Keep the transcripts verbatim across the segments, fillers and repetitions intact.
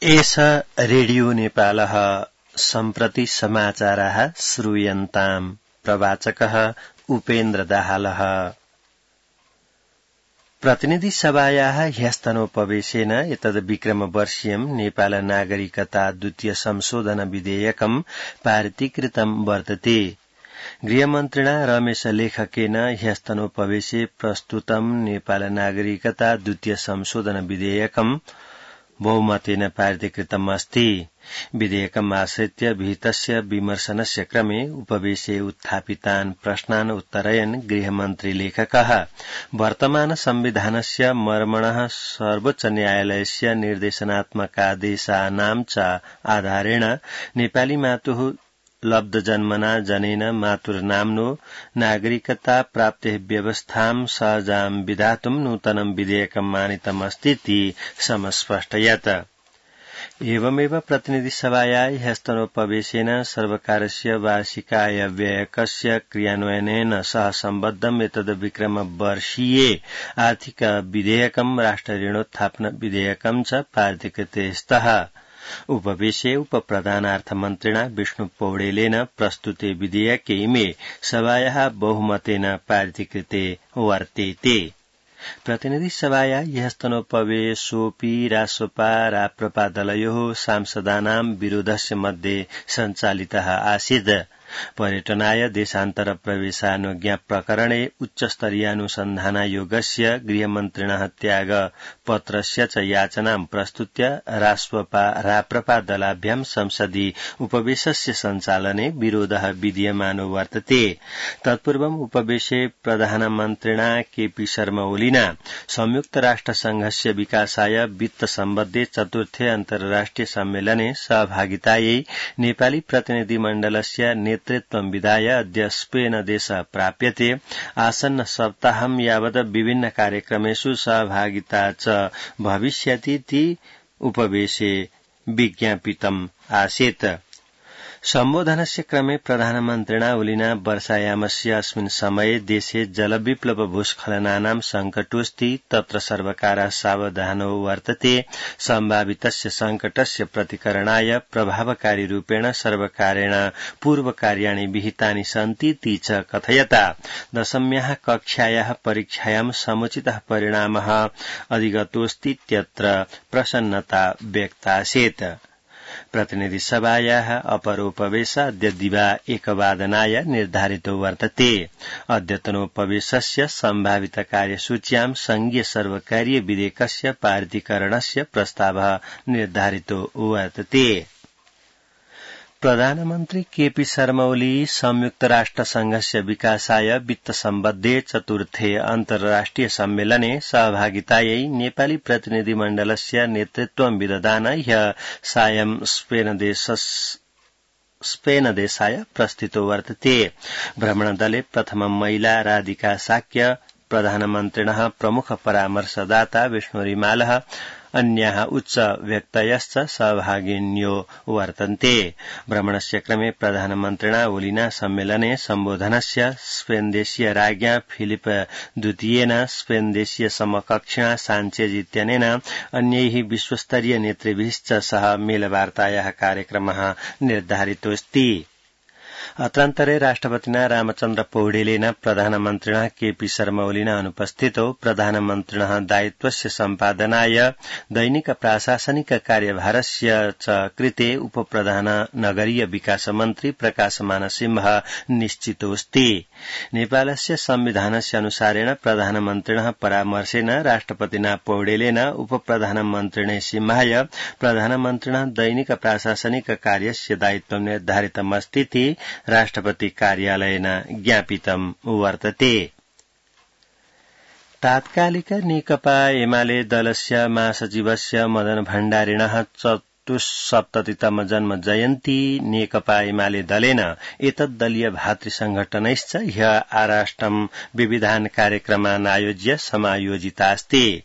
एष रेडियो नेपालः सम्प्रति समाचाराः श्रूयन्ताम्। प्रवाचकः उपेन्द्र दाहालः। प्रतिनिधि सभायाः ह्यस्तनोपवेशेन एतद् विक्रमवर्षीयं नेपाल नागरिकता द्वितीय संशोधन विधेयकं पारितीकृतं वर्तते। गृहमन्त्रिणा रमेश लेखकेन ह्यस्तनोपवेशे प्रस्तुतं नेपाल नागरिकता द्वितीय संशोधन विधेयकं बहुमतेन पारितीकृतम् अस्ति। विधेयकम् आश्रित्य विहितस्य विमर्शनस्य क्रमे उपवेशे उत्थापितान् प्रश्नान् उत्तरयन् गृहमन्त्री लेखकः वर्तमान संविधानस्य मर्मणः सर्वोच्च न्यायालयस्य निर्देशनात्मकादेशानां च आधारेण नेपाली मातुः लब्धजन्मना जनेन मातुर्नाम्नो नागरिकता प्राप्तेः व्यवस्थां सहजां विधातुं नूतनं विधेयकम् आनीतमस्तीति समस्पष्टयत्। एवमेव प्रतिनिधिसभायाः ह्यस्तनोपवेशेन सर्वकारस्य वार्षिकायव्ययकस्य क्रियान्वयनेन सह सम्बद्धम् एतद् विक्रमवर्षीये आर्थिक विधेयकं राष्ट्रऋणोत्थापन विधेयकं च पारितीकृते स्तः। उपवेशे उपप्रधानार्थमन्त्रिणा विष्णु पौडेलेन प्रस्तुते विधेयके इमे सभायाः बहुमतेन पारितीकृते वर्तेते। प्रतिनिधिसभाया ह्यस्तनोपवेशोऽपि रासोपा राप्रपा दलयोः सांसदानां विरोधस्य मध्ये सञ्चालितः आसीत्। पर्यटनाय देशान्तर प्रवेशानुज्ञा प्रकरणे उच्चस्तरीयानुसन्धानायोगस्य गृहमन्त्रिणः त्याग पत्रस्य च याचनां प्रस्तुत्य रासोपा राप्रपा दलाभ्यां संसदि उपवेशस्य सञ्चालने विरोधः विधीयमानो वर्तते। तत्पूर्वम् उपवेशे प्रधानमन्त्रिणा केपी शर्मा ओलीना संयुक्त राष्ट्रसंघस्य विकासाय वित्त सम्बद्धे चतुर्थे अन्तर्राष्ट्रिय सम्मेलने सहभागितायै नेपाली प्रतिनिधिमण्डलस्य नेतृत्वं विधाय अद्य स्पेन देश प्राप्यते। आसन्न सप्ताहं यावत् विभिन्न कार्यक्रमेषु सहभागिता च भविष्यतीति उपवेशे विज्ञापितम् आसीत्। सम्बोधनस्य क्रमे प्रधानमन्त्रिणा ओलिना वर्षायामस्य अस्मिन् समये देशे जलविप्लव भूस्खलनानां संकटोऽस्ति, तत्र सर्वकारः सावधानो वर्तते। सम्भावितस्य संकटस्य प्रतिकरणाय प्रभावकारी रूपेण सर्वकारेण पूर्वकार्याणि विहितानि सन्तीति च कथयता दशम्याः कक्षायाः परीक्षायां समुचितः परिणामः अधिगतोऽस्तीत्यत्र प्रसन्नता व्यक्तासीत्। प्रतिनिधिसभायाः अपरोपवेश अद्य दिवा एकवादनाय निर्धारितो वर्तते। अद्यतनोपवेशस्य सम्भावित कार्यसूच्यां संघीय सर्वकारीय विधेयकस्य पारितीकरणस्य प्रस्तावः निर्धारितो वर्तते। प्रधानमन्त्री केपी शर्मा ओली संयुक्त राष्ट्रसंघस्य विकासाय वित्त सम्बद्धे चतुर्थे अन्तर्राष्ट्रिय सम्मेलने सहभागितायै नेपाली प्रतिनिधिमण्डलस्य नेतृत्वं विदधान ह्यः सायं स्पेन देश स्पेन देशाय प्रस्थितो वर्तते। भ्रमणदले प्रथमं महिला राधिका साक्य, प्रधानमन्त्रिणः प्रमुख परामर्शदाता विष्णु रिमालः, अन्याः उच्च व्यक्तयश्च सहभागिन्यो वर्तन्ते। भ्रमणस्य क्रमे प्रधानमन्त्रिणा ओलिना सम्मेलने सम्बोधनस्य स्पेनदेशीय राज्ञा फिलिप द्वितीयेन स्पेनदेशीय समकक्षिणा साञ्चेज इत्यनेन अन्यैः विश्वस्तरीय नेतृभिश्च सह मेलवार्तायाः कार्यक्रमः निर्धारितोऽस्ति। अत्रान्तरे राष्ट्रपतिना रामचन्द्र पौडेलेन प्रधानमन्त्रिणः केपी शर्मा ओलिना अनुपस्थितौ प्रधानमन्त्रिणः दायित्वस्य सम्पादनाय दैनिक प्राशासनिक कार्यभारस्य च कृते उपप्रधान नगरीय विकास मन्त्री प्रकाशमान सिंह निश्चितोऽस्ति। नेपालस्य संविधानस्य अनुसारेण प्रधानमन्त्रिणः परामर्शेन राष्ट्रपतिना पौडेलेन उपप्रधानमन्त्रिणे सिंहाय प्रधानमन्त्रिणः दैनिक प्राशासनिक कार्यस्य दायित्वं निर्धारितमस्तीति राष्ट्रपति कार्यालयेन ज्ञापितं वर्तते। तात्कालिक नेकपा एमाले दलस्य महासचिवस्य मदन भण्डारिणः चतुस्सप्ततितम जन्म जयन्ती नेकपा एमाले दलेन एतद्दलीय भातृसंघटनैश्च ह्यः आराष्टं विविधान् कार्यक्रमान् आयोज्य समायोजितास्ति।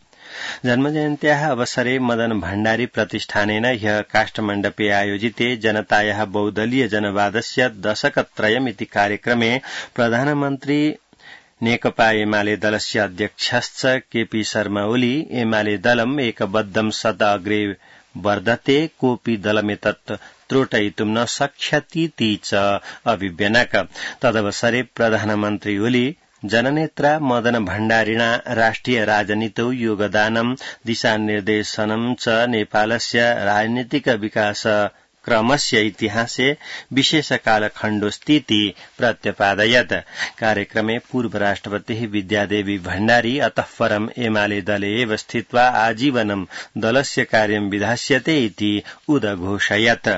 जन्मजयन्त्याः अवसरे मदन भण्डारी प्रतिष्ठानेन ह्यः काष्ठमण्डपे आयोजिते जनतायाः बहुदलीय जनवादस्य दशकत्रयमिति कार्यक्रमे प्रधानमन्त्री नेकपा एमाले दलस्य अध्यक्षश्च केपी शर्मा ओली एमाले दलम् एकबद्धं सदा अग्रे वर्धते कोऽपि दलमेतत् त्रोटयितुं न शक्ष्यतीति च अभिव्यनक। तदवसरे प्रधानमन्त्री ओली जननेत्रा मदन भण्डारिणा राष्ट्रिय राजनीतौ योगदानं दिशानिर्देशनं च नेपालस्य राजनीतिक विकास क्रमस्य इतिहासे विशेषकालखण्डोऽस्तीति प्रत्यपादयत्। कार्यक्रमे पूर्व राष्ट्रपतिः विद्यादेवी भण्डारी अतः परम् एमाले दले एव स्थित्वा आजीवनं दलस्य कार्यं विधास्यते इति उदघोषयत्।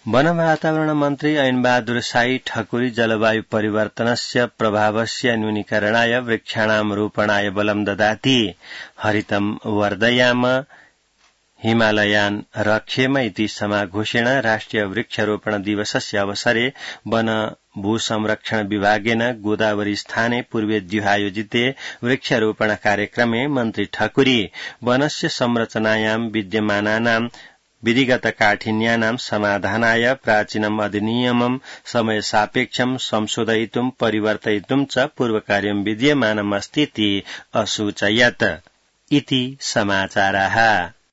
वन वातावरण मन्त्री ऐनबहादुर साई ठकुरी जलवायु परिवर्तनस्य प्रभावस्य न्यूनीकरणाय वृक्षाणां रोपणाय बलं ददाति। हरितं वर्धयाम हिमालयान् रक्षेम इति समाघोषेण राष्ट्रिय वृक्षरोपण दिवसस्य अवसरे वन भूसंरक्षण विभागेन गोदावरी स्थाने पूर्वेद्युः आयोजिते वृक्षरोपण कार्यक्रमे मन्त्री ठकुरी वनस्य संरचनायां विद्यमानानां विधिगत काठिन्यानां समाधानाय प्राचीनम् अधिनियमं समयसापेक्षं संशोधयितुं परिवर्तयितुं च पूर्वकार्यं विद्यमानम् अस्तीति असूचयत्। इति समाचाराः।